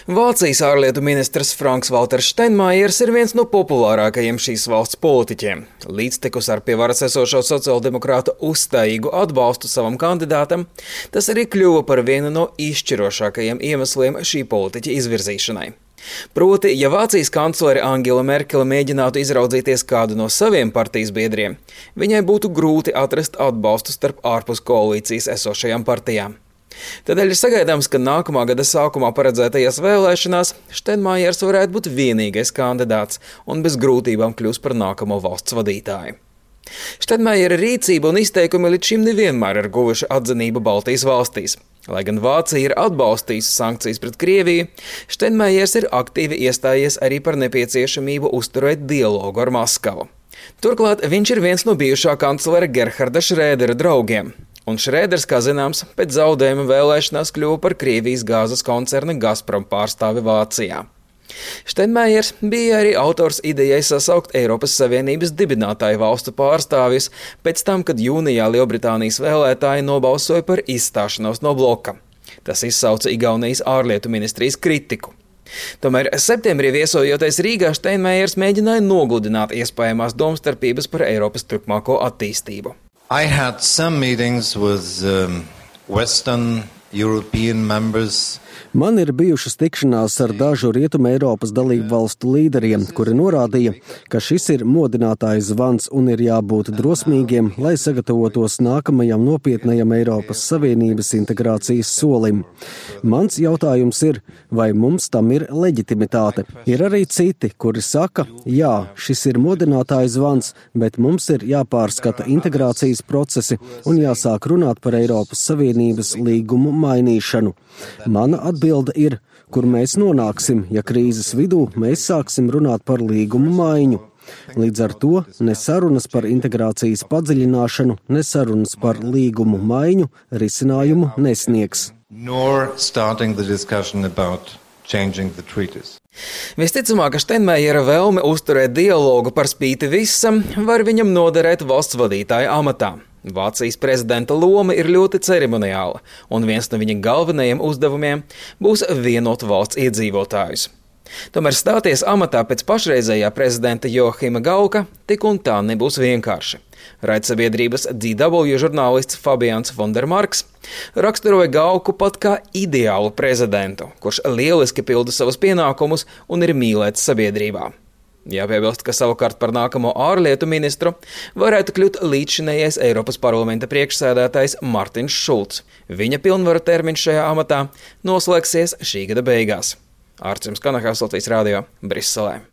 Vācijas ārlietu ministrs Franks-Walters Steinmeiers ir viens no populārākajiem šīs valsts politiķiem. Līdztekus ar pie varas esošo sociāldemokrātu uzstājīgu atbalstu savam kandidātam, tas arī kļuva par vienu no izšķirošākajiem iemesliem šī politiķa izvirzīšanai. Proti, ja Vācijas kanclere Angela Merkele mēģinātu izraudzīties kādu no saviem partijas biedriem, viņai būtu grūti atrast atbalstu starp ārpus koalīcijas esošajām partijām. Tādēļ ir sagaidāms, ka nākamā gada sākumā paredzētajās vēlēšanās Steinmeiers varētu būt vienīgais kandidāts un bez grūtībām kļūs par nākamo valsts vadītāju. Steinmeiera rīcība un izteikumi līdz šim nevienmēr ir guvuši atzinību Baltijas valstīs. Lai gan Vācija ir atbalstījusi sankcijas pret Krieviju, Steinmeiers ir aktīvi iestājies arī par nepieciešamību uzturēt dialogu ar Maskavu. Turklāt viņš ir viens no bijušā kanclera Gerharda Schrödera draugiem. Un Schröders, kā zināms, pēc zaudējuma vēlēšanās kļuva par Krievijas gāzes koncerna Gazprom pārstāvi Vācijā. Steinmeiers bija arī autors idejai sasaukt Eiropas Savienības dibinātāju valstu pārstāvjus pēc tam, kad jūnijā Lielbritānijas vēlētāji nobalsoja par izstāšanos no bloka. Tas izsauca Igaunijas ārlietu ministrijas kritiku. Tomēr septembrī viesojoties Rīgā, Steinmeiers mēģināja nogludināt iespējamās domstarpības par Eiropas turpmāko attīstību. I had some meetings with Western European members. Man ir bijušas tikšanās ar dažu Rietuma Eiropas dalību valstu līderiem, kuri norādīja, ka šis ir modinātājs zvans un ir jābūt drosmīgiem, lai sagatavotos nākamajam nopietnajam Eiropas Savienības integrācijas solim. Mans jautājums ir, vai mums tam ir leģitimitāte? Ir arī citi, kuri saka, jā, šis ir modinātājs zvans, bet mums ir jāpārskata integrācijas procesi un jāsāk runāt par Eiropas Savienības līgumu mainīšanu. Mana atbilde ir, kur mēs nonāksim, ja krīzes vidū mēs sāksim runāt par līgumu maiņu. Līdz ar to ne sarunas par integrācijas padziļināšanu, ne sarunas par līgumu maiņu risinājumu nesniegs. Visticamāk, ka Steinmeiera vēlme uzturēt dialogu par spīti visam var viņam noderēt valsts vadītāja amatā. Vācijas prezidenta loma ir ļoti ceremoniāla, un viens no viņa galvenajiem uzdevumiem būs vienot valsts iedzīvotājus. Tomēr stāties amatā pēc pašreizējā prezidenta Joachima Gauka tik un tā nebūs vienkārši. Raidsabiedrības DW žurnālists Fabians Fondermarks raksturoja Gauku pat kā ideālu prezidentu, kurš lieliski pilda savus pienākumus un ir mīlēts sabiedrībā. Jāpiebilst, ka savukārt par nākamo ārlietu ministru varētu kļūt līdzšinējais Eiropas parlamenta priekšsēdētājs Martins Šulcs. Viņa pilnvaru termiņš šajā amatā noslēgsies šī gada beigās. Ārcis Kanahāvs, Latvijas radio, Briselē.